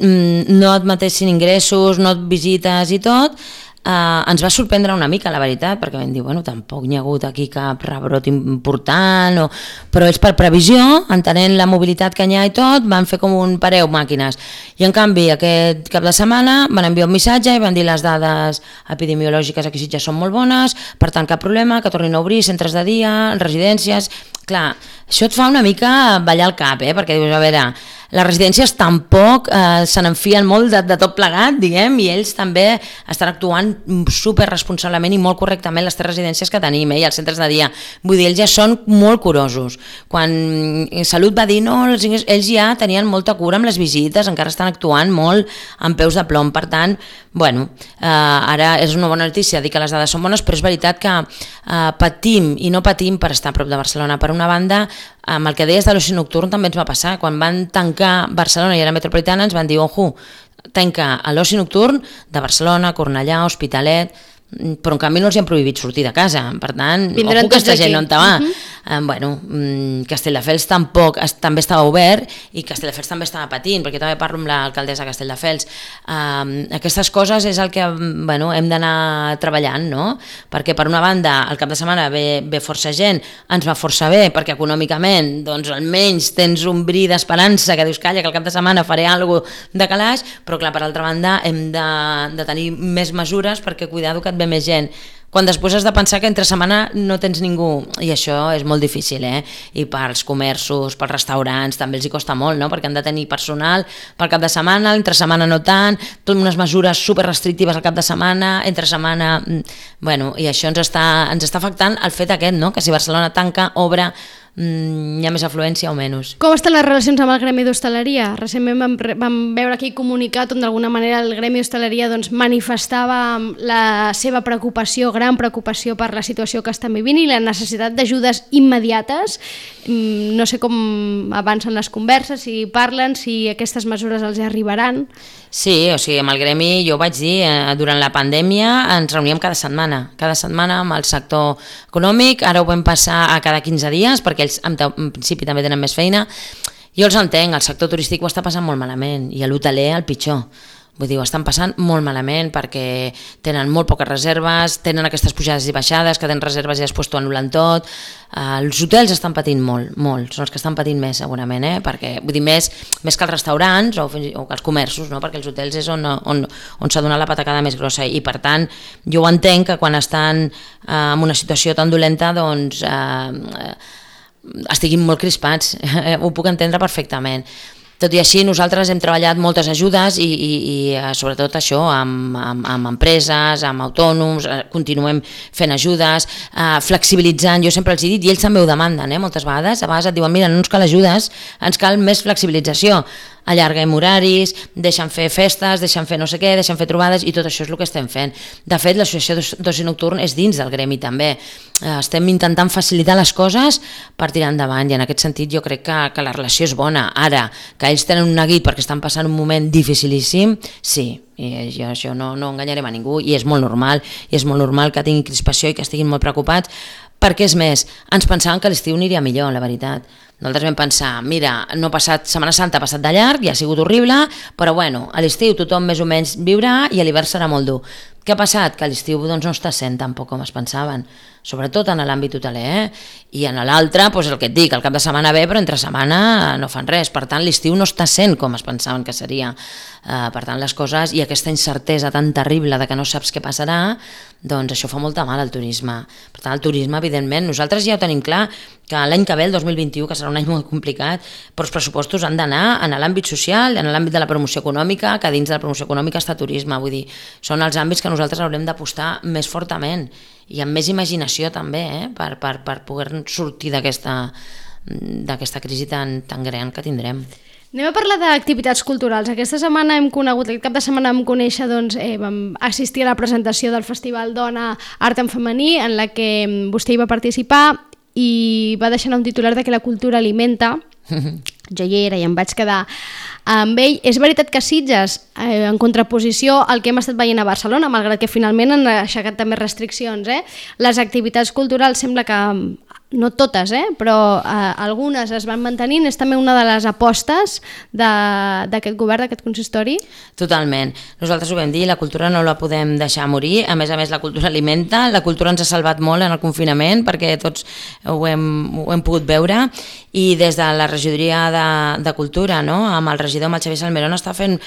no et matessin ingressos, no et visites i tot, Uh, ens va sorprendre una mica, la veritat, perquè vam dir, bueno, tampoc n'hi ha hagut aquí cap rebrot important, o... però ells per previsió, entenent la mobilitat que n'hi ha i tot, van fer com un pareu màquines. I en canvi, aquest cap de setmana van enviar un missatge i van dir les dades epidemiològiques aquí ja són molt bones, per tant cap problema, que tornin a obrir centres de dia, residències... Clar, això et fa una mica ballar el cap, eh? Perquè dius, a veure, les residències tampoc eh, se n'enfien molt de, de tot plegat, diguem, i ells també estan actuant super responsablement i molt correctament les tres residències que tenim, eh, i els centres de dia. Vull dir, ells ja són molt curosos. Quan Salut va dir, no, ells ja tenien molta cura amb les visites, encara estan actuant molt amb peus de plom, per tant, bueno, eh, ara és una bona notícia dir que les dades són bones, però és veritat que eh, patim i no patim per estar a prop de Barcelona. Per una banda, amb el que deies de l'oci nocturn també ens va passar. Quan van tancar Barcelona i era metropolitana ens van dir, ojo, tanca l'oci nocturn de Barcelona, Cornellà, Hospitalet, però en canvi no els han prohibit sortir de casa, per tant, vindran ojo, aquesta gent aquí. on te va. Uh-huh. Eh, bueno, Castelldefels tampoc es, també estava obert i Castelldefels també estava patint, perquè també parlo amb l'alcaldessa de Castelldefels. Eh, aquestes coses és el que bueno, hem d'anar treballant, no? Perquè per una banda el cap de setmana ve, ve força gent, ens va força bé, perquè econòmicament doncs almenys tens un bri d'esperança que dius, calla, que el cap de setmana faré alguna cosa de calaix, però clar, per altra banda hem de, de tenir més mesures perquè cuidado que et ve més gent, quan després has de pensar que entre setmana no tens ningú, i això és molt difícil, eh? I pels comerços, pels restaurants també els hi costa molt, no? Perquè han de tenir personal pel cap de setmana, entre setmana no tant, tot unes mesures super restrictives al cap de setmana, entre setmana, bueno, i això ens està, ens està afectant el fet aquest, no? Que si Barcelona tanca, obre, hi ha més afluència o menys. Com estan les relacions amb el gremi d'hostaleria? Recentment vam, vam veure aquí comunicat on d'alguna manera el gremi d'hostaleria doncs, manifestava la seva preocupació, gran preocupació per la situació que estan vivint i la necessitat d'ajudes immediates. No sé com avancen les converses, si parlen, si aquestes mesures els arribaran. Sí, o sigui, amb el gremi, jo ho vaig dir, eh, durant la pandèmia ens reuníem cada setmana, cada setmana amb el sector econòmic, ara ho vam passar a cada quinze dies, perquè ells en, en principi també tenen més feina. Jo els entenc, el sector turístic ho està passant molt malament, i l'hoteler el pitjor. Vull dir, ho estan passant molt malament perquè tenen molt poques reserves, tenen aquestes pujades i baixades, que tenen reserves i després t'ho anul·len tot. Uh, els hotels estan patint molt, molt, són els que estan patint més segurament, eh? Perquè, vull dir, més, més que els restaurants o, o que els comerços, no? Perquè els hotels és on, on, on s'ha donat la patacada més grossa i per tant jo ho entenc que quan estan uh, en una situació tan dolenta doncs uh, estiguin molt crispats, ho puc entendre perfectament. Tot i així, nosaltres hem treballat moltes ajudes i, i, i sobretot això, amb, amb, amb empreses, amb autònoms, continuem fent ajudes, eh, flexibilitzant, jo sempre els he dit, i ells també ho demanden, eh, moltes vegades, a vegades et diuen, mira, no ens cal ajudes, ens cal més flexibilització, allarguem horaris, deixen fer festes, deixen fer no sé què, deixen fer trobades i tot això és el que estem fent. De fet, l'associació d'oci nocturn és dins del gremi també. Estem intentant facilitar les coses per tirar endavant i en aquest sentit jo crec que, que la relació és bona. Ara, que ells tenen un neguit perquè estan passant un moment dificilíssim, sí, i jo això no, no enganyarem a ningú i és molt normal, i és molt normal que tinguin crispació i que estiguin molt preocupats, perquè és més, ens pensàvem que l'estiu aniria millor, la veritat. Nosaltres vam pensar, mira, no ha passat, Setmana Santa ha passat de llarg i ha sigut horrible, però bueno, a l'estiu tothom més o menys viurà i a l'hivern serà molt dur. Què ha passat? Que a l'estiu doncs, no està sent tampoc com es pensaven, sobretot en l'àmbit hoteler, eh? I en l'altre, doncs el que et dic, el cap de setmana ve, però entre setmana no fan res, per tant l'estiu no està sent com es pensaven que seria. Uh, per tant les coses i aquesta incertesa tan terrible de que no saps què passarà, doncs això fa molta mal al turisme. Per tant el turisme, evidentment, nosaltres ja ho tenim clar que l'any que ve, el dos mil vint-i-u, que serà un any molt complicat, però els pressupostos han d'anar en l'àmbit social, en l'àmbit de la promoció econòmica, que dins de la promoció econòmica està turisme, vull dir, són els àmbits que nosaltres haurem d'apostar més fortament i amb més imaginació també, eh? per, per, per poder sortir d'aquesta d'aquesta crisi tan, tan gran que tindrem. Anem a parlar d'activitats culturals. Aquesta setmana hem conegut, aquest cap de setmana vam conèixer, doncs, eh, vam assistir a la presentació del Festival Dona Art en Femení, en la que vostè hi va participar i va deixar un titular de que la cultura alimenta. Jo hi era i em vaig quedar amb ell. És veritat que Sitges, eh, en contraposició al que hem estat veient a Barcelona, malgrat que finalment han aixecat també restriccions, eh? Les activitats culturals sembla que no totes, eh? però eh, algunes es van mantenint, és també una de les apostes d'aquest govern, d'aquest consistori. Totalment. Nosaltres ho vam dir, la cultura no la podem deixar morir, a més a més la cultura alimenta, la cultura ens ha salvat molt en el confinament perquè tots ho hem, ho hem pogut veure, i des de la regidoria de, de cultura, no? Amb el regidor, amb el Xavier Salmerón, està fent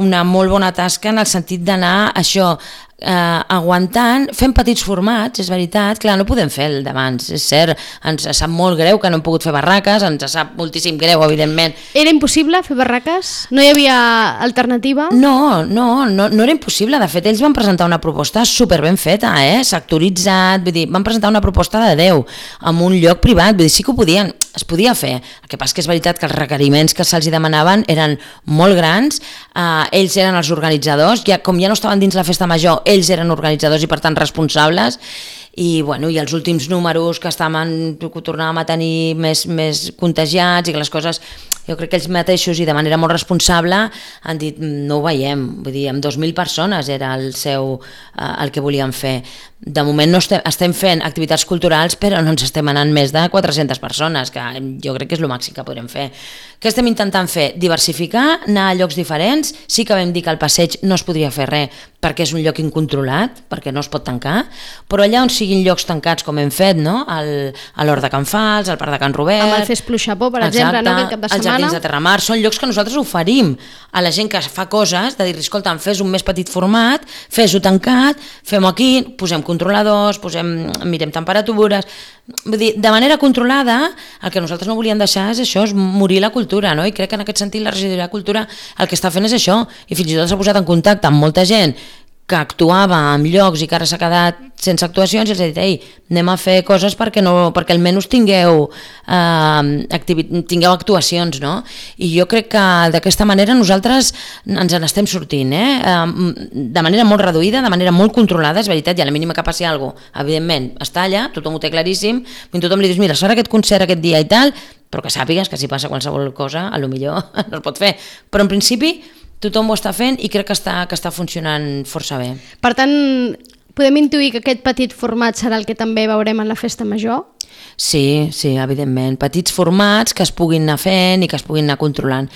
una molt bona tasca en el sentit d'anar això, eh, aguantant, fent petits formats, és veritat, clar, no podem fer el d'abans, és cert, ens sap molt greu que no hem pogut fer barraques, ens sap moltíssim greu, evidentment. Era impossible fer barraques? No hi havia alternativa? No, no, no, no era impossible, de fet ells van presentar una proposta super ben feta, eh? Sectoritzat, vull dir, van presentar una proposta de Déu, en un lloc privat, vull dir, sí que ho podien, es podia fer, el que passa que és veritat que els requeriments que se'ls demanaven eren molt grans, eh, ells eren els organitzadors, ja, com ja no estaven dins la festa major, ells eren organitzadors i per tant responsables, i, bueno, i els últims números que estaven, que tornàvem a tenir més, més contagiats i que les coses, jo crec que ells mateixos i de manera molt responsable han dit no ho veiem, vull dir, amb dos mil persones era el seu, eh, el que volien fer. De moment no estem, estem fent activitats culturals però no ens estem anant més de quatre-centes persones, que jo crec que és el màxim que podrem fer. Què estem intentant fer? Diversificar, anar a llocs diferents, sí que vam dir que al passeig no es podria fer res perquè és un lloc incontrolat, perquè no es pot tancar, però allà on siguin llocs tancats com hem fet, no? El, a l'Hort de Can Fals, al Parc de Can Robert... Amb el Fes Pluixapó, per exemple, no? Aquest cap de setmana. Els Jardins de Terramar, són llocs que nosaltres oferim a la gent que fa coses, de dir, escolta, fes un més petit format, fes-ho tancat, fem-ho aquí, posem controladors, posem, mirem temperatures... Vull dir, de manera controlada, el que nosaltres no volíem deixar és això, és morir la cultura, no? I crec que en aquest sentit la regidoria de cultura el que està fent és això, i fins i tot s'ha posat en contacte amb molta gent que actuava en llocs i que ara s'ha quedat sense actuacions i els ha dit, ei, anem a fer coses perquè, no, perquè almenys tingueu, eh, activi, tingueu actuacions, no? I jo crec que d'aquesta manera nosaltres ens en estem sortint, eh? Eh, de manera molt reduïda, de manera molt controlada, és veritat, i a la mínima que passi alguna cosa, evidentment, està allà, tothom ho té claríssim, i tothom li dius, mira, serà aquest concert aquest dia i tal, però que sàpigues que si passa qualsevol cosa, a lo millor no es pot fer. Però en principi tothom ho està fent i crec que està, que està funcionant força bé. Per tant, podem intuir que aquest petit format serà el que també veurem en la festa major? Sí, sí, evidentment. Petits formats que es puguin anar fent i que es puguin anar controlant.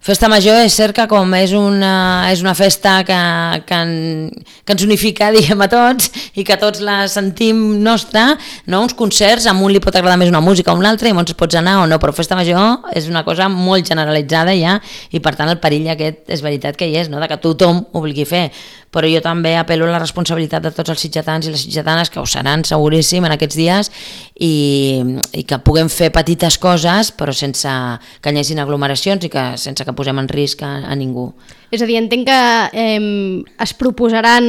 Festa Major és cert que com és una, és una festa que, que, en, que ens unifica, diguem, a tots i que tots la sentim nostra, no? Uns concerts, a un li pot agradar més una música o una altra i molts pots anar o no, però Festa Major és una cosa molt generalitzada ja i per tant el perill aquest és veritat que hi és, no? De que tothom ho vulgui fer, però jo també apel·lo a la responsabilitat de tots els sitgetans i les sitgetanes que ho seran seguríssim en aquests dies i, i que puguem fer petites coses però sense que hi hagin aglomeracions i que sense que posem en risc a, a ningú. És a dir, entenc que eh, es proposaran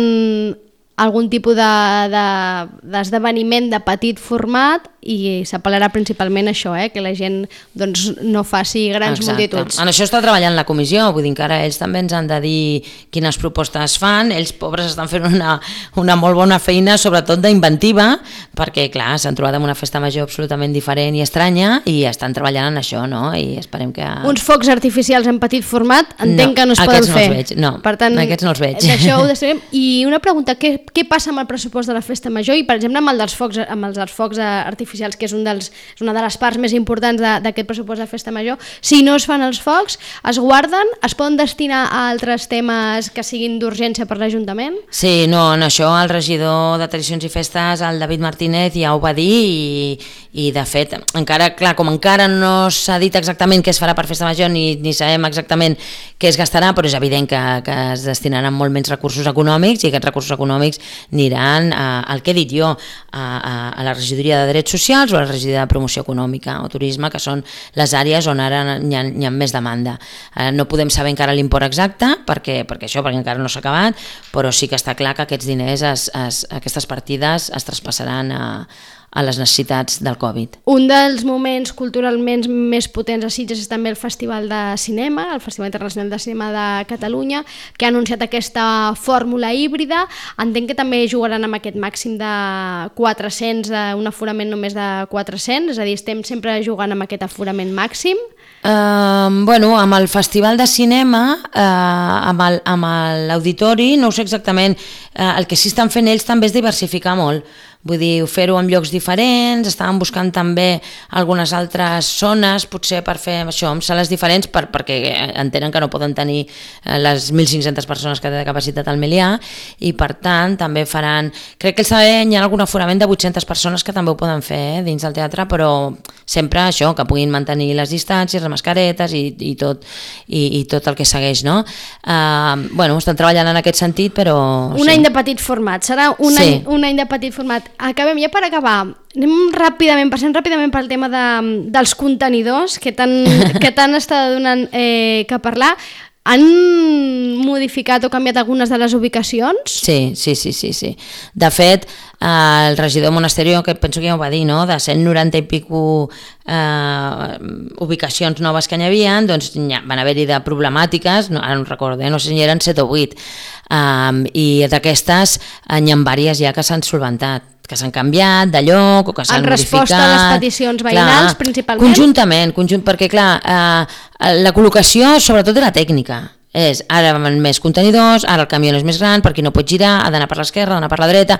algun tipus d'esdeveniment de, de, de petit format i s'apel·larà principalment a això, eh? Que la gent doncs, no faci grans Exacte. multituds. En això està treballant la comissió, vull dir que ara ells també ens han de dir quines propostes fan, ells pobres estan fent una, una molt bona feina, sobretot d'inventiva, perquè clar, s'han trobat amb una festa major absolutament diferent i estranya i estan treballant en això, no? I esperem que... Uns focs artificials en petit format entenc no, que no es poden fer. No, els veig, no, per tant, aquests no els veig. D'això ho decidirem. I una pregunta, què, què passa amb el pressupost de la festa major i per exemple amb el dels focs, amb els dels focs artificials, que és, un dels, és una de les parts més importants d'aquest pressupost de festa major, si no es fan els focs, es guarden, es poden destinar a altres temes que siguin d'urgència per l'Ajuntament? Sí, no, en això el regidor de Tradicions i Festes, el David Martínez, ja ho va dir i, i de fet, encara, clar, com encara no s'ha dit exactament què es farà per festa major ni, ni sabem exactament què es gastarà, però és evident que, que es destinaran molt menys recursos econòmics i aquests recursos econòmics aniran a, al que he dit jo, a, a, a la regidoria de Drets Socials o a la regidoria de Promoció Econòmica o Turisme, que són les àrees on ara hi ha, hi ha més demanda. Eh, no podem saber encara l'import exacte, perquè, perquè això, perquè encara no s'ha acabat, però sí que està clar que aquests diners, es, es, aquestes partides es traspassaran a, a les necessitats del Covid. Un dels moments culturalment més potents a Sitges és també el Festival de Cinema, el Festival Internacional de Cinema de Catalunya, que ha anunciat aquesta fórmula híbrida. Entenc que també jugaran amb aquest màxim de quatre-cents, un aforament només de quatre-cents, és a dir, estem sempre jugant amb aquest aforament màxim. Uh, bueno, amb el Festival de Cinema, uh, amb l'auditori, no ho sé exactament, uh, el que sí estan fent ells també és diversificar molt. vull dir, fer-ho en llocs diferents, estàvem buscant també algunes altres zones, potser per fer això, amb sales diferents, per, perquè entenen que no poden tenir les mil cinc-centes persones que té de capacitat al Melià, i per tant també faran, crec que el Sabadell hi ha algun aforament de vuit-centes persones que també ho poden fer eh, dins del teatre, però sempre això, que puguin mantenir les distàncies, les mascaretes i, i, tot, i, i tot el que segueix, no? Uh, bueno, estan treballant en aquest sentit, però... Un sí. any de petit format, serà un, sí. any, un any de petit format. Acabem, ja per acabar, anem ràpidament, passem ràpidament pel tema de, dels contenidors, que tant, que tant està donant eh, que parlar. Han modificat o canviat algunes de les ubicacions? Sí, sí, sí, sí, sí. De fet, eh, el regidor Monasterio, que penso que ja ho va dir, no? De cent noranta i pico eh, ubicacions noves que n'hi havia, doncs ja van haver-hi de problemàtiques, no, ara no recordo, eh? no sé si eren set o vuit, um, i d'aquestes n'hi ha diverses ja que s'han solventat, que s'han canviat de lloc o que s'han modificat. En resposta a les peticions veïnals, clar, principalment? Conjuntament, conjunt, perquè clar, eh, la col·locació sobretot era tècnica. És, ara van més contenidors, ara el camió és més gran, perquè no pot girar, ha d'anar per l'esquerra, ha d'anar per la dreta.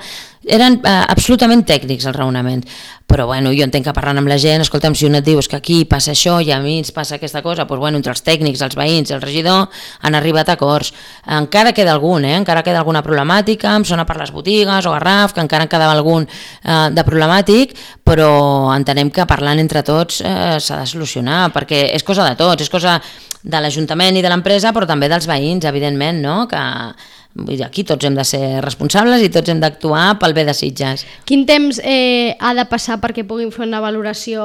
Eren eh, absolutament tècnics els raonaments. Però bueno, jo entenc que parlant amb la gent, escolta'm, si un et diu que aquí passa això i a mi ens passa aquesta cosa, doncs bueno, entre els tècnics, els veïns i el regidor han arribat a acords. Encara queda algun, eh? encara queda alguna problemàtica, em sona per les botigues o Garraf, que encara en quedava algun eh, de problemàtic, però entenem que parlant entre tots eh, s'ha de solucionar, perquè és cosa de tots, és cosa de l'Ajuntament i de l'empresa, però també dels veïns, evidentment, no? Que vull dir, aquí tots hem de ser responsables i tots hem d'actuar pel bé de Sitges. Quin temps eh, ha de passar perquè puguin fer una valoració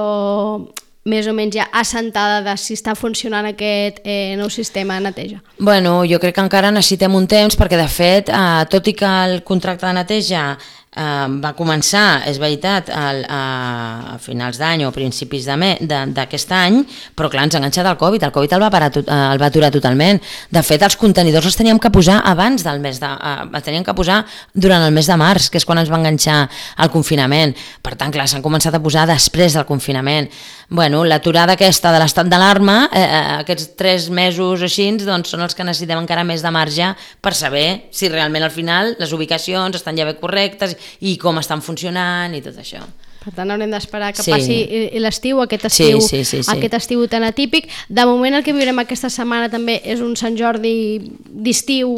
més o menys ja assentada de si està funcionant aquest eh, nou sistema de neteja? Bueno, jo crec que encara necessitem un temps perquè, de fet, eh, tot i que el contracte de neteja Uh, va començar, és veritat, al, a, a finals d'any o principis d'aquest any, però clar, ens ha enganxat el Covid, el Covid el va, parar, el va aturar totalment. De fet, els contenidors els teníem que posar abans del mes de... Uh, els teníem que posar durant el mes de març, que és quan ens va enganxar el confinament. Per tant, clar, s'han començat a posar després del confinament. Bueno, l'aturada aquesta de l'estat d'alarma, eh, aquests tres mesos així, doncs són els que necessitem encara més de marge per saber si realment al final les ubicacions estan ja bé correctes i com estan funcionant i tot això. Per tant, haurem d'esperar que sí. passi l'estiu, aquest estiu, sí, sí, sí, sí. aquest estiu tan atípic. De moment el que viurem aquesta setmana també és un Sant Jordi d'estiu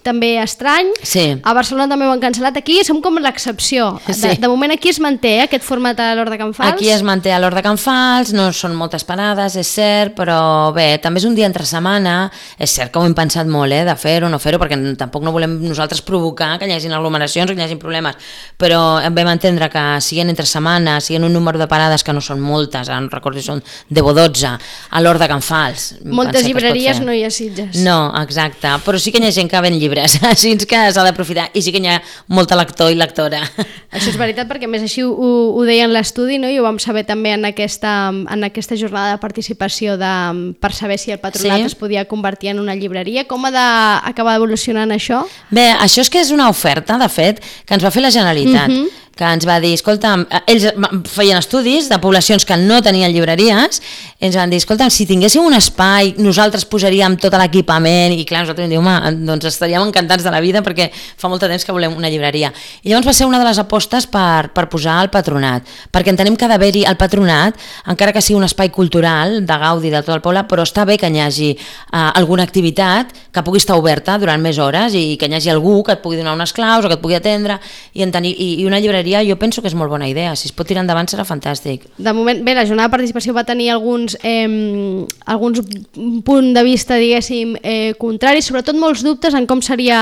també estrany. Sí. A Barcelona també ho han cancel·lat. Aquí som com l'excepció. Sí. De, de moment aquí es manté eh, aquest format a l'Hort de Can Fals. Aquí es manté a l'Hort de Can Fals, no són moltes parades, és cert, però bé, també és un dia entre setmana. És cert que ho hem pensat molt, eh, de fer-ho o no fer-ho, perquè tampoc no volem nosaltres provocar que hi hagi aglomeracions o que hi hagi problemes, però vam entendre que siguin entre setmana, siguin un número de parades que no són moltes, ara no recordo si són deu o dotze, a l'Hort de Can Fals. Moltes llibreries no hi ha Sitges. No, exacte, però sí que hi ha gent que ven llibres, així que s'ha d'aprofitar, i sí que hi ha molta lector i lectora. Això és veritat, perquè més així ho, ho deia en l'estudi, no? I ho vam saber també en aquesta, en aquesta jornada de participació de, per saber si el patronat sí. es podia convertir en una llibreria. Com ha d'acabar evolucionant això? Bé, això és que és una oferta, de fet, que ens va fer la Generalitat. Uh-huh. Que ens va dir, escolta, ells feien estudis de poblacions que no tenien llibreries, ens van dir, escolta, si tinguéssim un espai, nosaltres posaríem tot l'equipament, i clar, nosaltres vam dir, home, doncs estaríem encantats de la vida perquè fa molt de temps que volem una llibreria. I llavors va ser una de les apostes per, per posar el patronat, perquè entenem que ha d'haver-hi el patronat, encara que sigui un espai cultural, de gaudi de tot el poble, però està bé que hi hagi uh, alguna activitat que pugui estar oberta durant més hores i que hi hagi algú que et pugui donar unes claus o que et pugui atendre, i, en tenir, i, i una llibreria jo penso que és molt bona idea, si es pot tirar endavant serà fantàstic. De moment, bé, la jornada de participació va tenir alguns, eh, alguns punts de vista, diguéssim, eh, contraris, sobretot molts dubtes en com seria,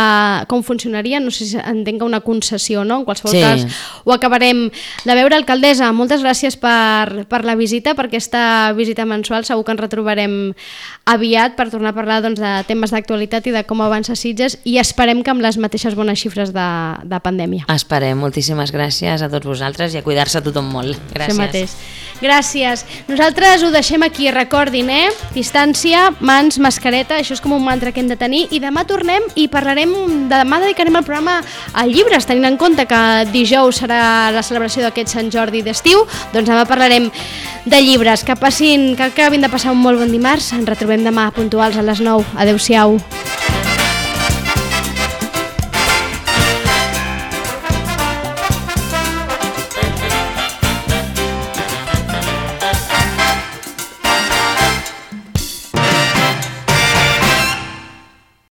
com funcionaria, no sé si entenc que una concessió, no? En qualsevol sí. cas ho acabarem de veure. Alcaldessa, moltes gràcies per, per la visita, per aquesta visita mensual, segur que ens retrobarem aviat per tornar a parlar doncs, de temes d'actualitat i de com avança Sitges, i esperem que amb les mateixes bones xifres de, de pandèmia. Esperem, moltíssimes gràcies. Gràcies a tots vosaltres i a cuidar-se tothom molt. Gràcies. Això mateix. Gràcies. Nosaltres ho deixem aquí, recordin, eh? Distància, mans, mascareta, això és com un mantra que hem de tenir, i demà tornem i parlarem, demà dedicarem el programa a llibres, tenint en compte que dijous serà la celebració d'aquest Sant Jordi d'estiu, doncs demà parlarem de llibres. Que passin, que acabin de passar un molt bon dimarts, ens retrobem demà puntuals a les nou. Adéu-siau.